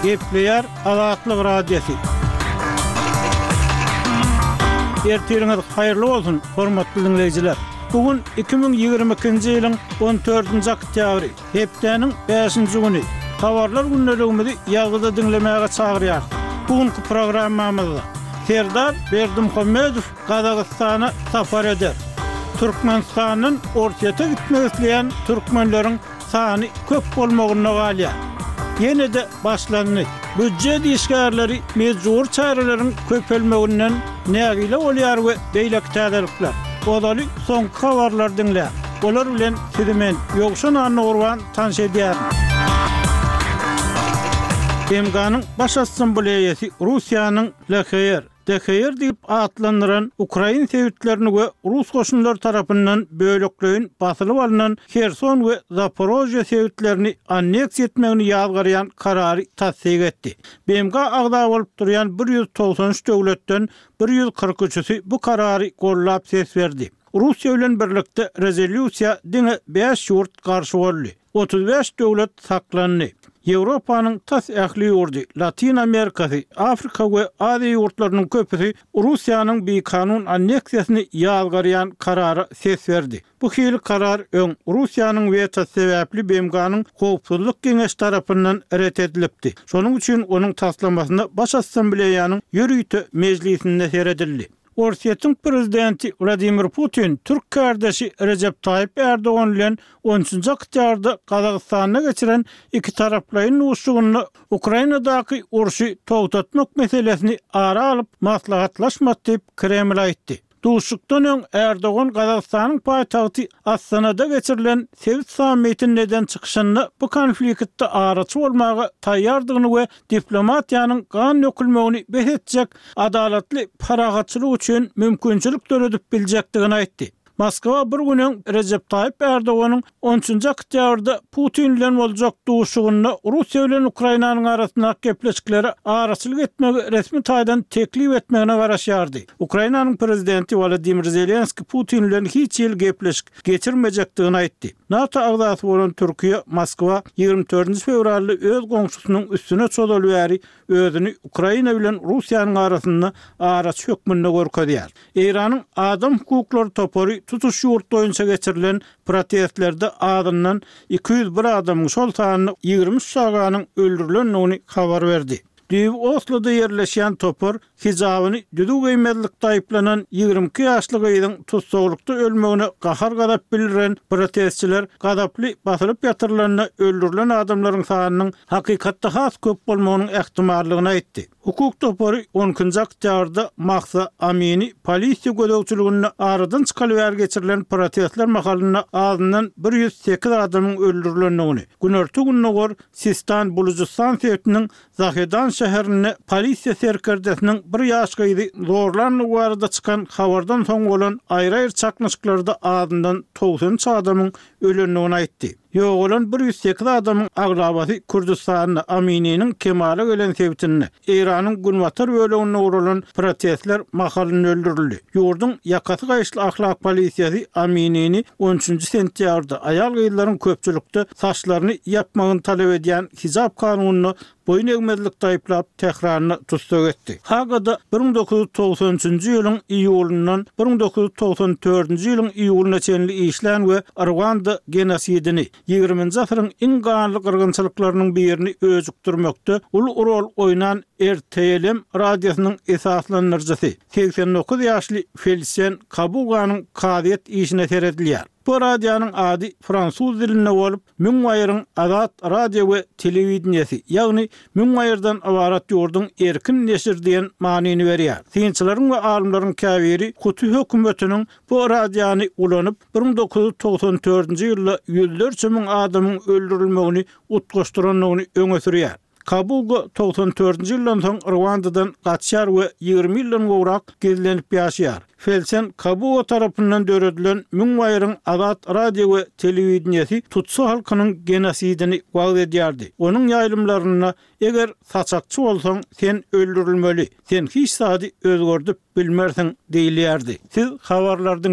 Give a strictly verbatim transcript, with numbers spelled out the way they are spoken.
Gepleýär Azatlyk Radiosy. Ertiriňiz haýyrly bolsun, hormatly diňleýjiler! Bu gün iki müň ýigrimi ikinji ýylyň on dördünji oktýabry, hepdäniň bäşinji güni. Habarlar gündeligimizi ýazgyda diňlemäge çagyrýarys. Bu günki programmamyzda Serdar Berdimuhamedow Gazagystana sapar eder. Türkmenistandan Orsýete gitmek isleýän türkmenleriň sany köp bolmagynda galýar. Ýene-de başlandy. Býujet işgärleri mejbury çäreleriň köpelmeginden nägile bolýar we beýleki täzelikler. Ozaly soňky habarlary diňläň. Olar bilen sizi men, Ýowşan Annagurban tanyş edýärin. B M G-nyň Baş Assambleýasy Russiýanyň L H R, D H R diýip atlandyran ukrain sebitlerini we rus goşunlary tarapyndan bölekleýin basylyp alnan Herson we Zaporožýe sebitlerini anneksiýa etmegini ýazgarýan karary tassyk etdi. B M G agza bolup durýan bir ýüz togsan üç döwletden bir ýüz kyrk üçüsi bu karary gollap ses berdi. Russiýa bilen birlikde rezolýusiýa diňe bäş ýurt garşy boldy. Otuz bäş döwlet saklandy. Ýewropanyň tas ähli ýurdy, Latyn Amerikasy, Afrika we Aziýa ýurtlarynyň köpüsi Russiýanyň bikanun anneksiýasyny ýazgarýan karara ses berdi. Bu hili karar öň Russiýanyň wetosy sebäpli B M G-nyň Howpsuzlyk Geňeşi tarapyndan ret edilipdi. Şonuň üçin onuň taslamasyna Baş Assambleýanyň ýörite mejlisinde seredildi. Orsýetiň prezidenti Wladimir Putin türk kärdeşi Rejep Taýyp Erdogan bilen on üçünji oktýabrda Gazagystanda geçiren ikitaraplaýyn duşuşygynda Ukrainadaky urşy togtatmak meselesini ara alyp maslahatlaşmady diýip, Kreml aýtdy. Duşuşykdan öň Erdogan Gazagystanyň paýtagty Astanada geçirilen sebit sammitinde eden çykyşynda bu konfliktde araçy bolmaga taýýardygyny we diplomatiýanyň gan dökülmegini bes etjek adalatly parahatçylyk üçin mümkinçilik döredip biljekdigini aýtdy. Moskwa bir gün öň Rejep Taýyp Erdoganyň on üçünji oktýabrda Putin bilen boljak duşuşygynda Russiýa bilen Ukrainanyň arasyndaky gepleşiklere araçylyk etmegi resmi taýdan teklip etmegine garaşýardy. Ukrainanyň prezidenti Wolodymyr Zelenskiý Putin bilen hiç hili gepleşik geçirmejekdigini aýtdy. NATO agzasy bolan Türkiýe Moskwa ýigrimi dördünji fewralda öz goňşusynyň üstüne çozaly bäri özüni Ukraina bilen Russiýanyň arasynda araçy hökmünde görkezýär. Eýranyň adam hukuklary topary tutuş ýurt boýunça geçirilen protestlerde azyndan iki ýüz bir adamyň, şol sanda ýigrimi üç çaganyň öldürilendigini habar berdi. Düýbi Osloda ýerleşýän topar hijabyny düzüw geýmezlikde aýyplanan ýigrimi iki ýaşly gyzyň tussaglykda ölmegine gahar-gazap bildiren protestçiler gazaply basylyp ýatyrylanda öldürilen adamlaryň sanynyň hakykatda has köp bolmagynyň ähtimallygyny aýtdy. Hukuk topary on ikinji oktýabrda Mahsa Amini polisiýa gözegçiliginde aradan çykaly bäri geçirilen protestler mahalynda azyndan bir ýüz sekiz adamyň öldürilendigini, günorta-gündogar Sistan-Bulujystan sebitiniň Zahedan şäherinde polisiýa serkerdesiniň bir ýaş gyzy zorlandygy barada çykan habardan soň bolan aýry-aýry çaknyşyklarda azyndan togsan üç adamyň ölendigini aýtdy. Ýogalan bir ýüz sekiz adamyň aglabasy Kürdüstanda, Amininiň kemala gelen sebitinde, Eýranyň günbatar böleginde guralan protestler mahalynda öldürildi. Ýurduň ýakasy gaýyşly ahlak polisiýasy Aminini on üçünji sentýabrda aýal-gyzlaryň köpçülikde saçlaryny ýapmagyny talap edýän hijab kanunyna boýun egmezlikde aýyplap, Tähranda tussag etdi. Hagada bir müň dokuz ýüz togsan üçünji ýylyň iýulyndan bir müň dokuz ýüz togsan dördünji ýylyň iýulyna çenli işlän we Rwanda genosidini, ýigriminji asyryň iň ganly gyrgynçylyklarynyň birini öjükdirmekde uly rol oýnan R T L M radiosynyň esaslandyryjysy, segsen dokuz ýaşly Felisien Kabuganyň kazyýet işine seredilýär. Bu radionyň ady fransuz dilinde bolup, müň baýryň azat radio we telewideniýesi, ýagny müň baýyrdan ybarat ýurduň erkin neşir diýen manyny berýär. Synçylaryň we alymlaryň käbiri Hutu hökümetiniň bu radiony ulanyp, bir müň dokuz ýüz togsan dördünji ýylda ýüzlerçe müň adamyň öldürilmegini utgaşdyrandygyny öňe sürýär. Kabuga togsan dördünji ýyldan soň Rwandadan gaçýar we ýigrimi ýyldan gowrak gizlenip ýaşaýar. Felsen Kabuga tarapyndan döredilen müň baýryň azat radio we telewideniýesi Tutsi halkynyň genosidini wagyz edýärdi. Onuň ýaýlymlarynda eger saçakçy bolsaň, sen öldürilmeli, sen hiç zady özgerdip bilmersiň diýilýärdi. Siz habarlardan